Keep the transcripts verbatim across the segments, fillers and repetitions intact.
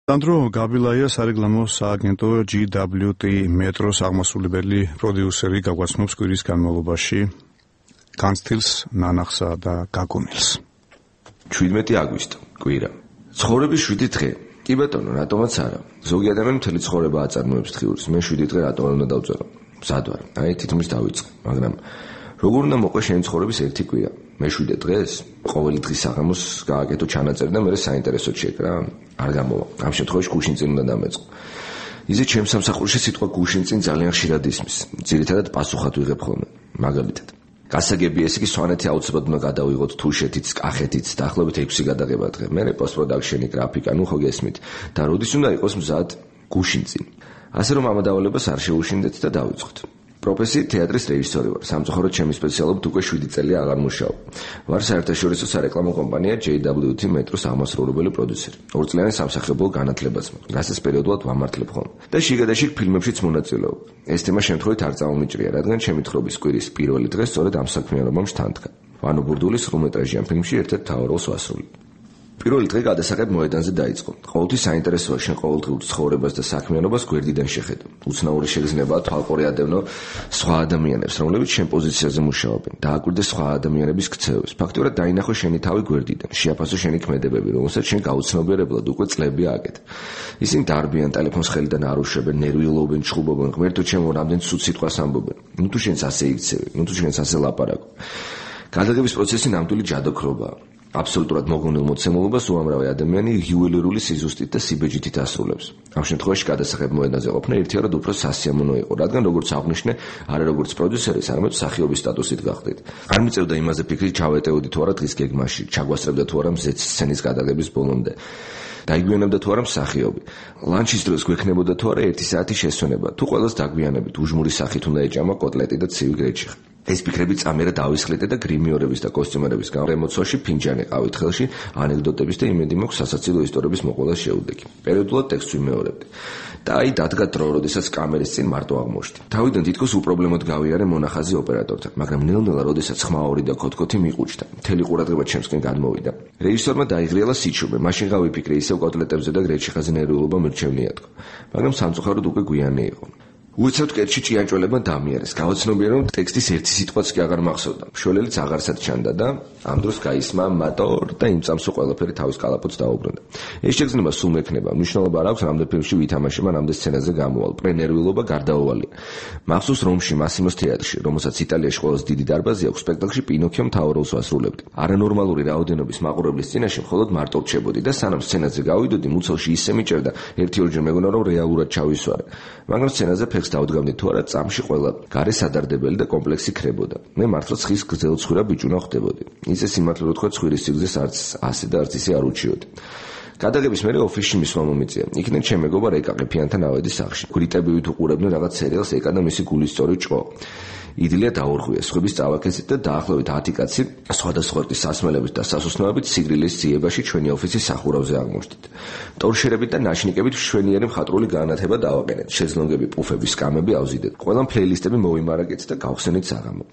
Sandro Gabilaia სარეკლამო სააგენტო G W T მეტროს აღმასრულებელი პროდიუსერი გაგვაცნობს კვირის განმავლობაში განცდილს, ნანახსა და გაგონილს. შვიდმეტი აგვისტო, კვირა. ცხოვრების შვიდი დღე. კი ბატონო, რატომაც არა. ზოგი ადამიანი მთელი ცხოვრება აწარმოებს დღიურს. მე შვიდი დღე რატომ უნდა დავწერო? მზად ვარ. აი თითქმის დავიწყე, მაგრამ როგორ უნდა მოყვე შენი ცხოვრების ერთი კვირა? მეშვიდე დღეს ყოველი დღის საღამოს გააკეთო ჩანაწერი და მე საინტერესოდ შეკრა. არ გამოვა. ამ შემთხვევაში გუშინწინ უნდა დამეწყო. ისე ჩემს სამსახურში სიტყვა გუშინწინ ძალიან ხშირად ისმის. ძირითადად პასუხად ვიღებ ხოლმე. მაგალითად, გასაგები ეს იგი სვანეთი აუცილებლად უნდა გადავიღოთ თუშეთიც, კახეთიც, დაახლოებით ექვსი გადაღება დღე. მე პოსტ პროდაქშენი, გრაფიკა, ნუ ხო გესმით. და როდის უნდა იყოს მზად გუშინწინ. ასე რომ ამ დავალებას არ შეუშინდეთ და დავიწყოთ. პროფესიით თეატრის რეჟისორი ვარ. სამწუხაროდ ჩემი სპეციალობით უკვე შვიდი წელი აღარ მუშაობ. ვარ საერთაშორისო სარეკლამო კომპანია G W T მეტროს აღმასრულებელი პროდიუსერი. ორწლიანი სამსახიობო განათლებაც მაქვს. რასაც პერიოდულად ვამართლებ ხოლმე. და შიგადაშიგ ფილმებშიც მონაწილეობ. ეს თემა შემთხვევით არ წამომიჭრია, რადგან ჩემი თხრობის კვირის პირველი დღე სწორედ ამ საქმიანობამ შთანთქა. ვანო ბურდულის სრულმეტრაჟიან ფილმში ერთ-ერთ მთავარ როლს ვასრულებ. პირველი დღე გადასაღებ მოედანზე დაიწყო. ყოველთვის საინტერესოა შენ ყოველდღიურ ცხოვრებას და საქმიანობას გვერდიდან შეხედო. უცნაური შეგრძნებაა თვალყური ადევნო სხვა ადამიანებს, რომლებიც შენ პოზიციაზე მუშაობენ. დააკვირდე სხვა ადამიანების ქცევებს. ფაქტობრივად დაინახო შენი თავი გვერდიდან. შეაფასო შენი ქმედებები, რომელსაც შენ გაუცნობიერებლად უკვე წლები აკეთებ. ისინი დარბიან, ტელეფონს ხელიდან არ უშვებენ, ნერვიულობენ, ჩხუბობენ, ღმერთო ჩემო, რამდენ ცუდ სიტყვას ამბობენ. ნუ თუ შენს ასე იქცევი, ნუ თუ შენს ასე ლაპარაკობ. გადაღების პროცესი ნამდვილი ჯადოქრობაა. აბსოლუტურად მოგონილ მოცემულობას უამრავი ადამიანი იუველირული სიზუსტით და სიბეჯითით ასრულებს. ამ შემთხვევაში გადასაღებ მოედანზე ყოფნა ერთიარად უფრო სასიამოვნო იყო, რადგან როგორც აღვნიშნე, არა როგორც პროდიუსერის, არამედ მსახიობის სტატუსით გახდით. არ მიწევდა იმაზე ფიქრი, ჩავეტეოდი თუ არა დღის გეგმაში, ჩაგვასწრებდა თუ არა მზეც სცენის გადაღების ბოლომდე. დაიგვიანებდა თუ არა მსახიობი. ლანჩის დროს გვექნებოდა თუ არა ერთი საათი შესვენება, თუ ყველას დაგვიანებით, უჟმური სახით უნდა ეჭამა კოტლეტი და ცივი გრეჩიხი. ეს ფიქრები წამერა დავისხლიდე და გრიმიორების და კოსტიუმერების გამომოცვაში ფინჯანი ყავით ხელში, ანეკდოტების და იმედი მაქვს სასაცილო ისტორიების მოყოლას შეუდექი. პერიოდულად ტექსტს ვიმეორებდი. და აი დადგა დრო, როდესაც კამერის წინ მარტო აღმოჩნდი. თავიდან თითქოს უპრობლემოდ გავიარე მონახაზი ოპერატორთან, მაგრამ ნელ-ნელა როდესაც ხმაური და ქოთქოთი მიყუჩდა, მთელი ყურადღება ჩემსკენ გადმოვიდა. რეჟისორმა დაიღრიალა სიჩუბე, მაშინ გავიფიქრე ისევ კოტლეტებზე და გრეჩიხაზე ნერვიულობა მირჩევნიათქო. მაგრამ სამწუხაროდ უკვე გვიანი იყო. უცებ კეთში ჭიანჭველებმა დამიარეს. გავაცნობიერე, რომ ტექსტის ერთი სიტყვაც კი აღარ მახსოვდა. მშველელიც აღარსად ჩანდა და ამ დროს გაისმა მატორ და იმ წამსო ყველაფერი თავის კალაპოტს დაუბრუნდა. ეს შეგრძნება სულ მექნება. მნიშვნელობა არ აქვს, რამდენ ფილმში ვითამაშება, რამდენ სცენაზე გამოვალ. პრენერვილობა გარდაუვალია. მახსოვს რომში მასიმოს თეატრში, რომელსაც იტალიაში ყველაზე დიდი დარბაზი აქვს, სპექტაკლში პინოქიო მთავარ როლს ვასრულებდი. არანორმალური რაოდენობის მაყურებლის წინაშე მხოლოდ მარტო რჩებოდი და სანამ სცენაზე გავიდოდი, მუცელში ისე მიჭერდა, ერთი-ორჯერ მეგონა რომ რეალურად ჩავისვარე. მაგრამ სცენაზე დავდგავდი თუ არა წამში ყველა გარე სადარდებელი და კომპლექსი ქრებოდა. მე მართლა ცხის გრძელცხვირა ბიჭუნა ხდებოდი. ისე სიმართლე რო თქვა ცხვირის სიგრძეს არც ასე და არც ისე არ უჩიოდი. გადაღების მერე ოფისში მისვლა მომიწია. იქიდან ჩემ მეგობარ ეკა ყიფიანთან ავედი სახლში. გრიტები ვით უყურებდნენ რაღაც სერიალს ეკა და მისი გულისწორი ჭყო. იდილია დაურღვია, სხვების წავაკეცით და დაახლოებით ათი კაცი სხვადასხვა რკის სასმელებით და სასუსნოებით სიგრილის ძიებაში ჩვენი ოფისის სახურავზე აღმოჩნდით. ტორშერებით და ნაშნიკებით მშვენიერი მხატვრული განათება დავაყენეთ. შეძლონგები, პუფები, სკამები ავზიდეთ. ყველა პლეილისტები მოვიმარაგეთ და გავხსენით საღამო.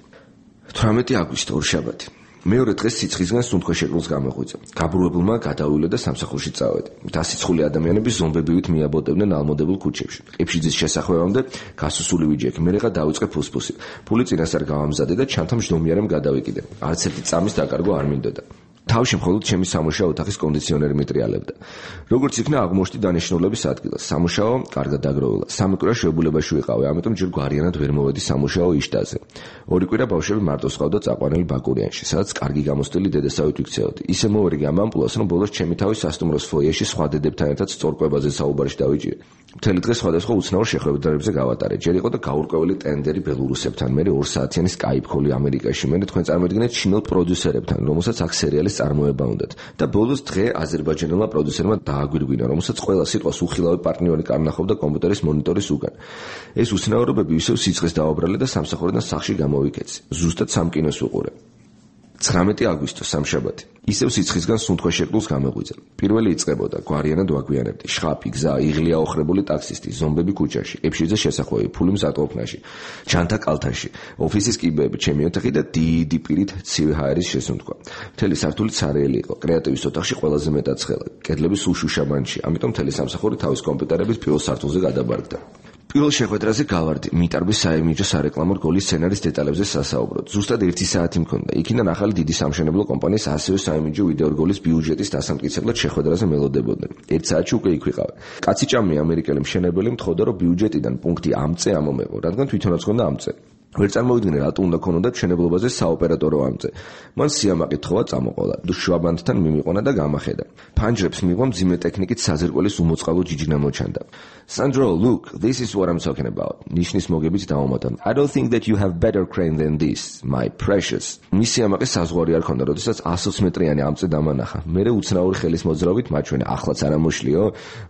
თვრამეტი აგვისტო, ორშაბათი. მეორე დღეს სიცხისგან სუნთქვა შეკრულს გამოღვიძა. გაბრუებულმა გადავივლე და სამსახურში წავედი. დასიცხული ადამიანები ზომბებივით მიაბოდებდნენ ალმოდებულ ქუჩებში. ყიფშიძის შესახვევამდე გასუსული ვიჯექი, მერეღა დავიწყე ფუსფუსი. ფული წინასწარ გავამზადე და ჩანთა მჟდომიარემ გადავიკიდე. არც ერთი წამის დაკარგვა არ მინდოდა. თავში მხოლოდ ჩემი სამუშაო ოთახის კონდიციონერი მიტრიალებდა. როგორც იქნა აღმოჩნდი დანიშნულების ადგილას. სამუშაო კარგად დაგროვილა. სამი კვირა შეებულებაში ვიყავი, ამიტომ ჯერ გვარიანად ვერ მოვედი სამუშაო იშტაზე. ორი კვირა ბავშვები მარტო სყავდა წაყვანილი ბაკურიანში, სადაც კარგი გამოსტილი დედასავით ვიქცეოდი. ისე მოვერიგე ამ ამპულას, რომ ბოლოს ჩემი თავი სასტუმროს ფოიეში სხვა დედებთან ერთად სწორკვებაზე საუბარში დავიჭირე. მთელი დღე სხვადასხვა უცნაურ შეხვედრებზე გავატარე. ჯერ იყო და გაურკვეველი ტენდერი ბელორუსებთან, მერე ორ საათიანი Skype call-ი ამერიკაში, მერე თქვენ წარმოიდგინეთ ჩინელ პროდიუსერებთან, რომელსაც აქ სერიალის წარმოება უნდათ. და ბოლოს დღე აზერბაიჯანელმა პროდიუსერმა დააგვირგვინა, რომელსაც ყველა სიტყვას უხილავი პარტნიორი კარნახობდა კომპიუტერის მონიტორის უკან. ეს უცნაურობები ისევ სიცხეს დააუბრალე და სამსახურიდან სახლში გამოვიქეცი. ზუსტად სამ კინოს ვიყურე. ცხრამეტი აგვისტო სამშაბათი. ისევ სიცხისგან სუნთქვაშეკლულს გამეღვიძა. პირველი იწყებოდა, გვარიანად ვაგვიანებდი. შხაპი, გზა, იღლი აოხრებული ტაქსისტი, ზომბები ქუჩაში, ებშიძე შესახვევი, ფული მზადყოფნაში, ჩანთა კალთაში, ოფისის კიბეები, ჩემი ოთახი და დიდი პირით ცივი ჰაერის შესუნთქვა. მთელი სართული ცარიელი იყო. კრეატივის ოთახში ყველაზე მეტად ცხელა. კედლები სულ შუშამანში, ამიტომ მთელი სამსახური თავის კომპიუტერების პირველ სართულზე გადაბარგდა. პირველ შეხვედრაზე გავარდი მიტარბის საიმიჯო სარეკლამო რგოლის სცენარის დეტალებზე სასაუბროდ. ზუსტად ერთი საათი მქონდა. იქიდან ახალი დიდი სამშენებლო კომპანიის ასევე საიმიჯო ვიდეო რგოლის ბიუჯეტის დასამტკიცებლად შეხვედრაზე მელოდებოდნენ. ერთ საათში უკვე იქ ვიყავი. კაცი ჭამი ამერიკელი მშენებელი მთხოვდა, რომ ბიუჯეტიდან პუნქტი ამწე ამომეყო, რადგან თვითონაც ჰქონდა ამწე. ვერ წარმოვიდგინე რატო უნდა ქონოდათ მშენებლობაზე საოპერატორო ამწე. მან სიამაყე თხოვა წამოყოლა, შვაბანდთან მიმიყონა და გამახედა. ფანჯრებს მიიღო მძიმე ტექნიკით საზერკველის უმოწყალო ჯიჯნა მოჩანდა. Sandro, look, this is what I'm talking about. ნიშნის მოგებით დაუმატა. I don't think that you have better crane than this, my precious. მისი ამაყე საზღვარი არ ქონდა, როდესაც ასოც მეტრიანი ამწე დამანახა. მერე უცნაური ხელის მოძრაობით მაჩვენა, ახლაც არ ამოშლიო.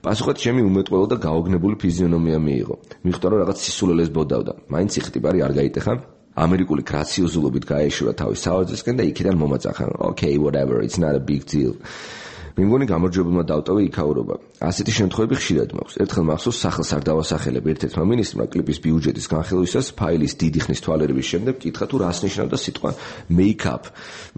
პასუხად ჩემი უმეტყველო და გაოგნებული ფიზიონომია მიიღო. მიხვდა რომ რაღაც სისულელეს ბოდავდა. მაინც იხტიბარი არ გაიტეხა. ამერიკული გრაციოზულობით გაეშურა თავის საოცრისკენ და იქიდან მომაწახა. Okay, whatever, it's not a big deal. მიმგონი გამარჯვებულმა დავტოვე იქაურობა. ასეთი შემთხვევები ხშირად მაქვს. ერთხელ მახსოვს სახელს არ დავასახელებ ერთ-ერთმა მინისტრმა კლიპის ბიუჯეტის განხილვისას ფაილის დიდი ხნის თვალერების შემდეგ კითხა თუ რას ნიშნავდა სიტყვა make-up.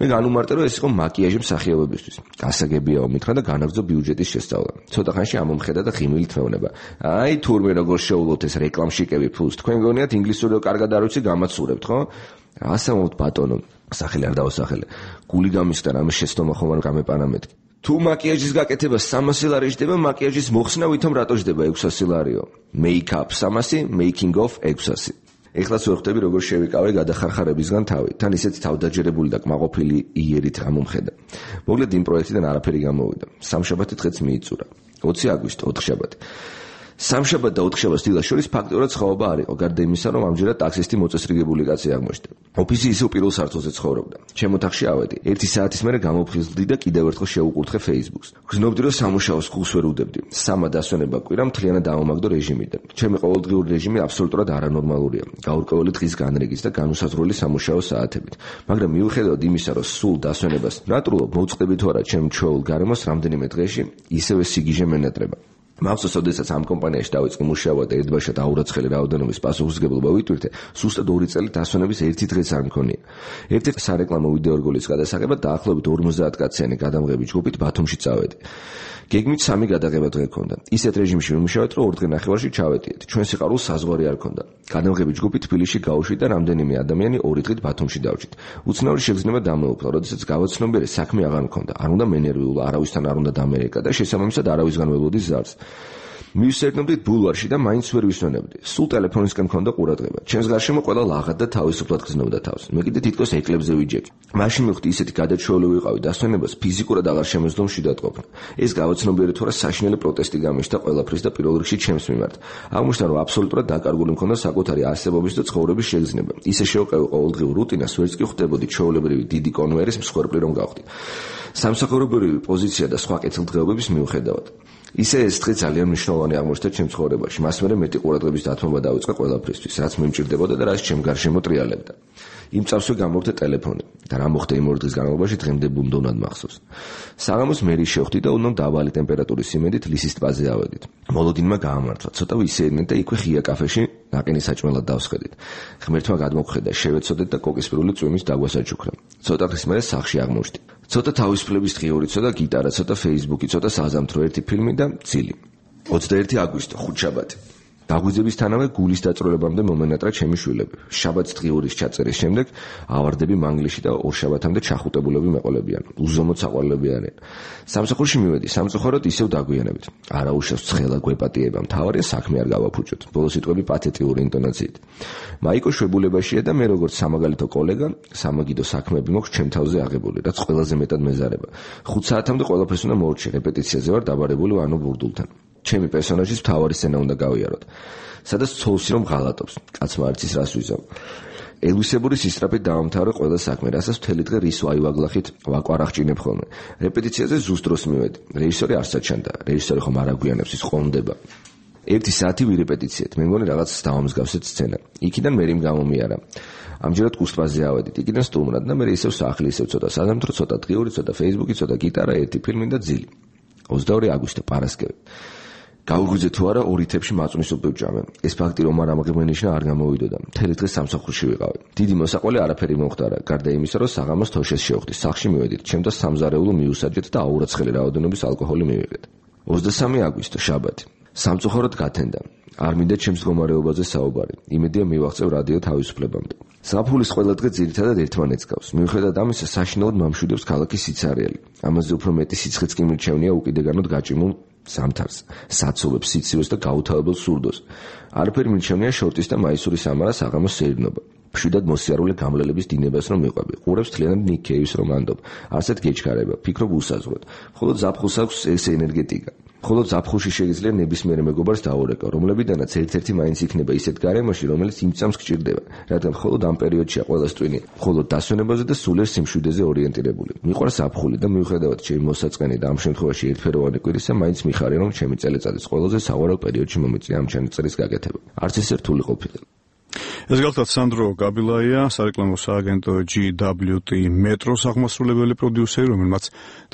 მე განუმარტე რომ ეს იყო მაკიაჟი მსახიობებისთვის. გასაგებიაო მითხრა და განაგრძო ბიუჯეტის შესწავლა. ცოტა ხანში ამომხედა და ღიმილით მეუბნება. აი თურმე როგორ შეულოთ ეს რეკლამშიკები ფულს. თქვენ გონიათ ინგლისური კარგად არ ვიცი გამაცურებთ, ხო? ასე მოთ ბატონო. სახელი არ დავასახელე. გული გამისდა რამე შეცდომა ხომ არ გამეპანა მეთქი. თუ მაკიაჟის გაკეთება სამასი ლარი ჯდება, მაკიაჟის მოხსნა ვითომ რატო ჯდება ექვსასი ლარიო? Make-up სამასი, making of ექვსასი. ეხლაც ვერ ხვდები როგორ შევიკავე გადახარხარებისგან თავი. თან ისეთი თავდაჯერებული და კმაყოფილი იერით გამომხედა. მოკლედ იმ პროექტიდან არაფერი გამოვიდა. სამშაბათი დღეც მიიწურა. ოცი აგვისტო, ოთხშაბათი. სამშაბათ და ოთხშაბათს დილას შორის ფაქტობრივად სხვაობა არ იყო, გარდა იმისა, რომ ამჯერად ტაქსისტი მოწესრიგებული კაცი აღმოჩნდა. ოფისი ისევ პირველ სართულზე ცხოვრობდა. ჩემ ოთახში ავედი. ერთი საათის მერე გამოფხიზლდი და კიდევ ერთხელ შევუკურთხე Facebook-ს. გრძნობდი, რომ სამუშაოს ხუს ვერ უდებდი. სამა დასვენება კვირა მთლიანად დავამაგდო რეჟიმიდან. ჩემი ყოველდღიური რეჟიმი აბსოლუტურად არანორმალურია. გაურკვეველი დღის განრიგით და განუსაზღვრელი სამუშაო საათებით. მაგრამ მიუხედავად იმისა, რომ სულ დასვენებას ნატრულობ მოვწყდები თუ არა ჩემ ჩვეულ გარემოს რამდენიმე დღეში, ისევე სიგიჟე მენატრება. მახსოვს, როდესაც ამ კომპანიაში დავიწყე მუშაობა და ერთბაშად აურაცხელი რაოდენობის პასუხისმგებლობა ვიტვირთე, სუსტად ორი წელი დასვენების ერთი დღეც არ მქონია. ერთ-ერთი სარეკლამო ვიდეო რგოლის გადასაღებად დაახლოებით ორმოცდაათ კაციანი გადამღები ჯგუფით ბათუმში წავედი. გეგმით სამი გადაღება დღე ჰქონდა. ისეთ რეჟიმში ვიმუშავეთ, რომ ორ დღე ნახევარში ჩავეტიეთ. ჩვენ სიყვარულს საზღვარი არ ჰქონდა. გადამღები ჯგუფი თბილისში გავუშვით და რამდენიმე ადამიანი ორი დღით ბათუმში დავჭით. უცნაური შეგრძნება დამეუფლა, როდესაც გავაცნობიერე საქმე აღარ მქონდა. არ უნდა მენერვიულა, არავისთან არ უნდა დამერეკა და შესაბამისად არავისგან ველოდი ზარს. მივსერდნობდით ბულვარში და მაინც ვერ ვისვენებდი. სულ ტელეფონისკენ მქონდა ყურადღება. ჩემს გარშემო ყველა ლაღად და თავისუფლად გრძნობდა თავს. მე კიდე თითქოს ეკლებზე ვიჯექი. მაშინ მივხვდი ისეთი გადაჩვეული ვიყავი დასვენებას ფიზიკურად აღარ შემეძლო მშვიდად ყოფნა. ეს გავაცნობიერე თუ რა საშინელი პროტესტი გამიშთა ყველაფრის და პირველ რიგში ჩემს მიმართ. აღმოჩნდა რომ აბსოლუტურად დაკარგული მქონდა საკუთარი არსებობის და ცხოვრების შეგრძნება. ისე შევყევი ყოველდღიურ რუტინას, ვერც კი ხვდებოდი ჩვეულებრივი დიდი კონვერის მსხვერპლი რომ გავხდი. სამსახურებრივი პოზიცია და სხვა კეთილდღეობების მიუხედავად. ისე ეს დღე ძალიან მნიშვნელოვანი აღმოჩნდა ჩემ ცხოვრებაში. მას მერე მეტი ყურადღების დათმობა დავიწყე ყველაფრისთვის, რაც მიმჭირდებოდა და რაც ჩემ გარშემო ტრიალებდა. იმ წავსვე გამოვხდა ტელეფონი და რა მოხდა იმ ორი დღის განმავლობაში დღემდე ბუნდოვნად მახსოვს. საღამოს მერი შევხვდი და უდნო დაბალი ტემპერატურის იმედით ლისის ტბაზე ავედით. მოლოდინმა გაამართლა, ცოტა ვისეირნეთ და იქვე ღია კაფეში ნაყინის საჭმელად დავსხედით. ღმერთმა გადმოგხედა, შევეცოდეთ და კოკისპირული წვიმის დაგვასაჩუქრა. ცოტა ხნის მერე სახლში აღმოჩნდი. ცოტა თავისუფლების დღიური, ცოტა გიტარა, ცოტა Facebook-ი, ცოტა საზამთრო, ერთი ფილმი და წილი. ოცდაერთი აგვისტო, ხუთშაბათი. დაგვიძებისთანავე გულის დაწვრილებამდე მომენატრა ჩემი შვილები. შაბათს დღიურის ჩაწერის შემდეგ ავარდები მანგლისში და ორშაბათამდე ჩახუტებულები მეყოლებიან. უზომოდ საყვარლები არიან. სამსახურში მივედი, სამწუხაროდ ისევ დაგვიანებით. არა უშავს ცხელა გვეპატიება, მთავარია საქმე არ გავაფუჭოთ. ბოლო სიტყვები პათეტიური ინტონაციით. მაიკო შვებულებაშია და მე როგორც სამაგალითო კოლეგა, სამაგიდო საქმეები მოქვს ჩემ თავზე აღებული, რაც ყველაზე მეტად მეზარება. ხუთ საათამდე ყველაფერს უნდა მოვარჩი, რეპეტიციაზე ვარ დაბარებული ვანო ბურდულთან. ჩემი პერსონაჟის მთავარი სცენა უნდა გავიაროთ. სადაც ცოლსი რომ ღალატობს, კაცმა არც ის რას ვიზამ. ელვისებური სისწრაფით დავამთავრე ყველა საქმე, რასაც მთელი დღე რის ვაივაგლახით ვაკვარახჭინებ ხოლმე. რეპეტიციაზე ზუსტ დროს მივედი. რეჟისორი არ საჩანდა. რეჟისორი ხომ არ აგვიანებს, ის ყონდება. ერთი საათი ვირეპეტიციეთ. მე მგონი რაღაც დავამსგავსეთ სცენა. იქიდან მე რიმ გამომიარა. ამჯერად კუსტბაზე ავედით. იქიდან სტუმრად და მე ისევ სახლი, ისევ ცოტა საზამთრო, ცოტა დღიური, ცოტა Facebook-ი, ცოტა გიტარა, ერთი ფილმი და ძილი. ოცდაორი აგვისტო პარასკევი. გავუღვიძე თუ არა ორი თებში მაწვნის სუპი ვჭამე. ეს ფაქტი რომ არ ამღიმენიშნა არ გამოვიდოდა. მთელი დღე სამსახურში ვიყავი. დიდი მოსაყველი არაფერი მომხდარა. გარდა იმისა, რომ საღამოს თოშეს შევხვდი. სახლში მივედით. ჩემთა სამზარეულო მიუსაჯეთ და აურაცხელი რაოდენობის ალკოჰოლი მივიღეთ. ოცდასამი აგვისტო შაბათი. სამწუხაროდ გათენდა. არ მინდა ჩემს მდგომარეობაზე საუბარი. იმედია მივაღწევ რადიო თავისუფლებამდე. საფულის ყველა დღე ძირითადად ერთმანეთს გავს. მიუხედავად ამისა, საშინაოდ მამშვიდობს ქალაქის სიცარიელი. ამაზე უფრო მეტი სიცხეც კი მირჩევნია უკიდეგანოდ გაჭიმულ სამთარს, საცობებს, სიცივეს და გაუთავებელ სურდოს. არაფერი მირჩევნია შორტის და მაისური სამარა საღამოს სეირნობა. მშვიდად მოსიარულე გამლელების დინებას რომ მიყვები. ყურებს თლიანად ნიკ კეივის რომ ანდობ. არსად გეჩქარება, ფიქრობ უსაზღვროდ. ხოლო ზაფხულს აქვს ეს ენერგეტიკა. ხოლო ზაფხულში შეიძლება ნებისმიერ მეგობარს დაურეკო, რომლებიდანაც ერთ-ერთი მაინც იქნება ისეთ გარემოში, რომელიც იმწამს გჭირდება, რადგან მხოლოდ ამ პერიოდშია ყველას ტვინი, მხოლოდ დასვენებაზე და სულიერ სიმშვიდეს ორიენტირებული. მიყვარს ზაფხული და მიუხედავად ჩემი მოსაწყენი და ამ შემთხვევაში ერთფეროვანი კვირისა, მაინც მიხარია რომ ჩემი წელიწადის ყველაზე სავარაუდ პერიოდში მომეწია ამ ჩანაწერის გაკეთება. არც ეს რთული ყოფილა. ეს გახლავთ სანდრო გაბილაია, სარეკლამო სააგენტო ჯი დაბლიუ ტი მეტროს აღმასრულებელი პროდიუსერი, რომელმაც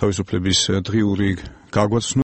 თავისუფლების დღიური გაგვაცნო